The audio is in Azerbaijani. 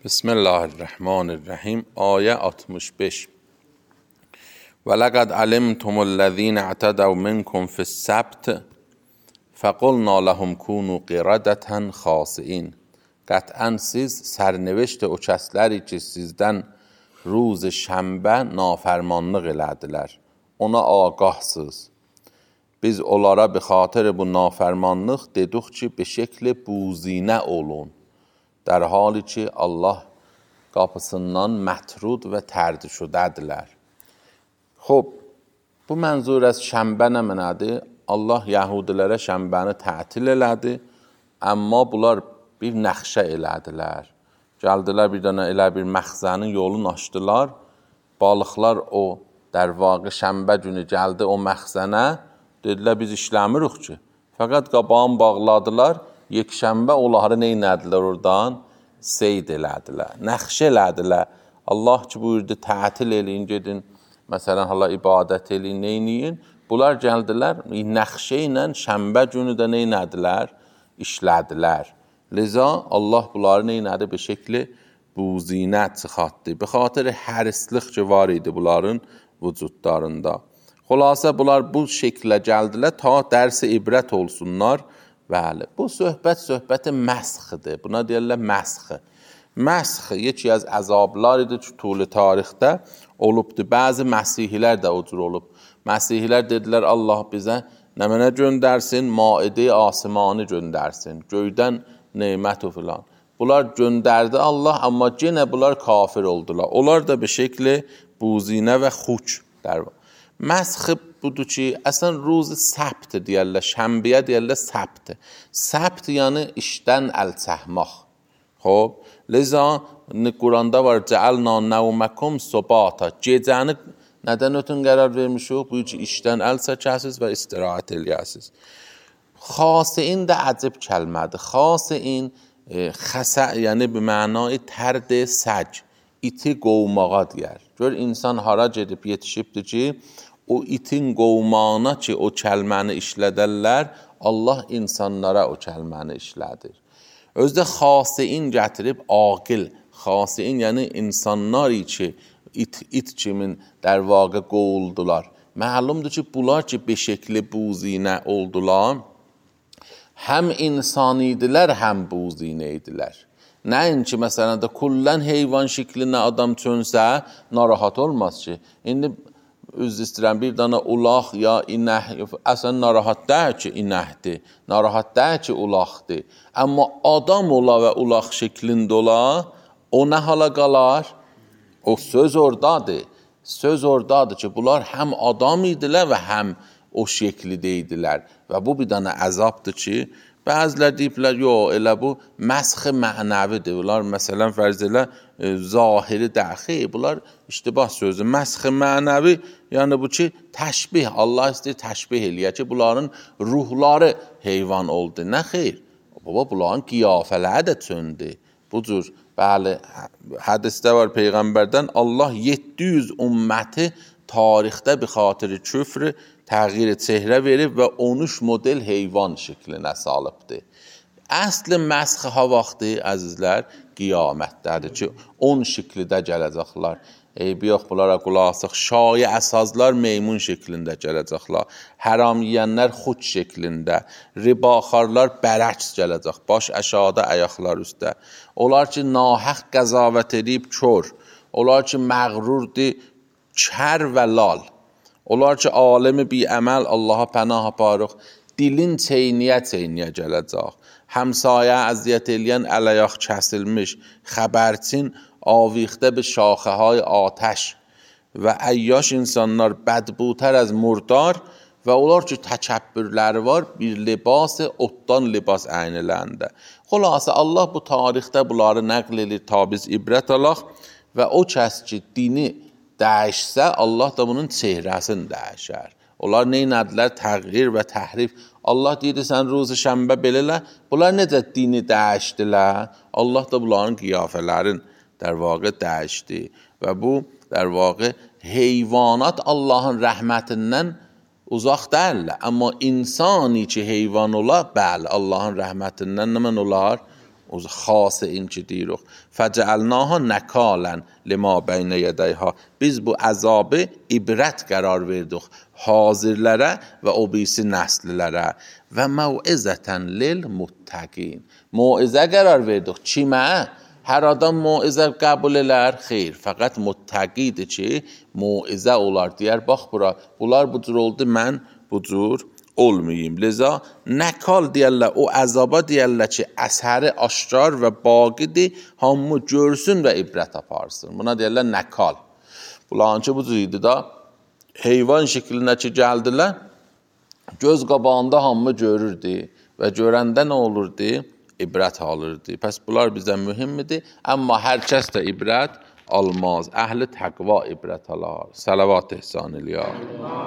Bismillahirrahmanirrahim. Ayə 65. Və ləqəd alimtum ellezîne i'tədəv minkum fis-səbt fəqulna ləhum kunu qiradətən xasiin. Qətən siz sərnevişt o kəsləri ki sizdən روز şənbə nafərmanlıq elədilər. Ona agahsız. Biz onlara bi xatir bu nafərmanlıq dedik ki be şekli buzinə olun. در حالی ki Allah qapısından mətrud və tərdi şudədirlər. Xob, bu mənzur az şənbə nə mənadır? Allah Yahudilərə şənbəni tətil elədi, amma bunlar bir nəxşə elədilər. Gəldilər bir dənə elə bir məxzənin yolunu açdılar, balıqlar o در واقع şənbə günü gəldi o məxzənə, dedilər biz işləmirik ki. Fəqət qabağını bağladılar, yekşənbə onları neynədilər oradan? Seyd elədilər, nəxş elədilər. Allah ki buyurdu, tətil eləyin, gedin, məsələn, hala ibadət eləyin, neyniyin? Bunlar gəldilər, nəxşə ilə şənbə günü də neynədilər? İşlədilər. Liza Allah bunları neynədi? Bir şekli buzinə çıxartdı. Bir xatir hərislik ki var idi bunların vücudlarında. Xülasə bunlar bu şeklə gəldilər, ta dərsi ibrət olsunlar. Bəli, bu söhbəti məsxidir. Buna deyirlər məsxi. Məsxi yeki az əzablar idi ki, tuli tarixdə olubdu. Bəzi məsihilər də o cür olub. Məsihilər dedilər, Allah bizə nə mənə göndərsin? Maide asimanı göndərsin. Göydən neymət o filan. Bunlar göndərdi Allah, amma yenə bunlar kafir oldular. Onlar da bir şekli buzinə və xuç der. Məsxi budur ki, əslən ruzi səbt deyərlər, şənbəyə deyərlər səbt. Səbt yəni işdən əl çəkmək. Xob, liza Quranda var, cəəlna nəvməkum sobata. Gecəni nədən ötün qərar vermişik? Bu ki, işdən əl çəkəsiz və istirahət eləyəsiz. Xasiin də əcib kəlmədir. Xasiin xəsə, yəni bir mənayı tərd səc, iti qovmağa deyər. Gör, insan hara gedib yetişibdir ki, o itin qovmağına ki o kəlməni işlədərlər, Allah insanlara o kəlməni işlədir. Özdə xasiin gətirib aqil, xasiin yəni insanlar ki it kimin در واقع qovuldular. Məlumdur ki bunlar ki bir şekli buzinə oldular, həm insanidilər, həm buzinə idilər. Nəinki məsələn də kullən heyvan şeklinə adam çönsə narahat olmaz ki. İndi üzr istəyirəm, bir dana ulaq ya inək, əslən narahat deyil ki inəkdir, narahat deyil ki ulaqdır. Amma adam ola və ulaq şeklində ola, o nə hala qalar? O söz oradadır. Söz oradadır ki, bunlar həm adam idilər və həm o şeklidə idilər. Və bu bir dana əzabdır ki, bəzilər deyiblər, yox, elə bu məsxi mənəvidir. Bunlar məsələn fərz elə zahiri dəxi, bunlar iştibah sözü. Məsxi mənəvi, yəni bu ki, təşbih, Allah istəyir təşbih eləyə ki, bunların ruhları heyvan oldu. Nə xeyr? Baba, bunların qiyafələri də çöndü. Bu cür, bəli, hədisdə var Peyğəmbərdən, Allah 700 ümməti tarixdə bir xatiri küfrü təğyir çehrə verib və 13 model heyvan şəklinə salıbdır. Əsli məsxi ha vaxtı, əzizlər, qiyamətdədir ki, 10 şəklidə gələcəklər. Eybi yox, bunlara qulasıq. Şayə əsazlar meymun şəklində gələcəklər. Həram yiyənlər xud şəklində. Ribaxarlar bərəks gələcək. Baş əşada, əyaqlar üstə. Onlar ki, nahəq qəzavət edib kör. Onlar ki, məğrurdir, kər və lal. Onlar ki, alemi bi əməl Allaha pənah aparıq, dilin çeyniyə gələcək. Həmsayə əziyyət eləyən ələyaq kəsilmiş, xəbərçin avixdə bir şaxəhay atəş və əyyaş insanlar bədbutər az murdar və onlar ki, təkəbbürləri var, bir libası otdan libas əyniləndə. Xülasə, Allah bu tarixdə bunları nəql edir, ta biz ibrət alaq və o kəs ki, dini dəyişsə, Allah da bunun çehrəsini dəyişər. Onlar neynədilər? Təğyir və təhrif. Allah deyir, sən ruzi şənbə belələ, bunlar necə dini dəyişdilər? Allah da bunların qiyafələrin در واقع dəyişdi. Və bu, در واقع heyvanat Allahın rəhmətindən uzaq deyirlər. Amma insani ki heyvan olar, bəli, Allahın rəhmətindən nə mən olar? xas این ki deyirik. Fəcəlnaha nakalan lima beynə yədəyha. Biz bu əzabı ibrət qərar verdik hazirlərə və o birisi nəslilərə və məvizətən lil muttəqin. Mauizə qərar verdik. Kimə? Hər adam mauizə qəbul elər? Xeyr, fəqət muttəqidir ki, mauizə olar. Deyər, bax bura, bunlar bu cür oldu, mən bu cür olmayayım. Liza, nəkal deyərlər, o əzaba deyərlər ki, əsəri aşkar və baqidir, hamı görsün və ibrət aparsın. Buna deyərlər nəkal. Bunların ki, bu cür idi da, heyvan şəklinə ki, gəldilər, göz qabağında hamı görürdü və görəndə nə olurdu? İbrət alırdı. Pəs bunlar bizə mühimmidir, amma hər kəs də ibrət almaz. Əhli təqva ibrət alar. Salavat ehsan eləyər.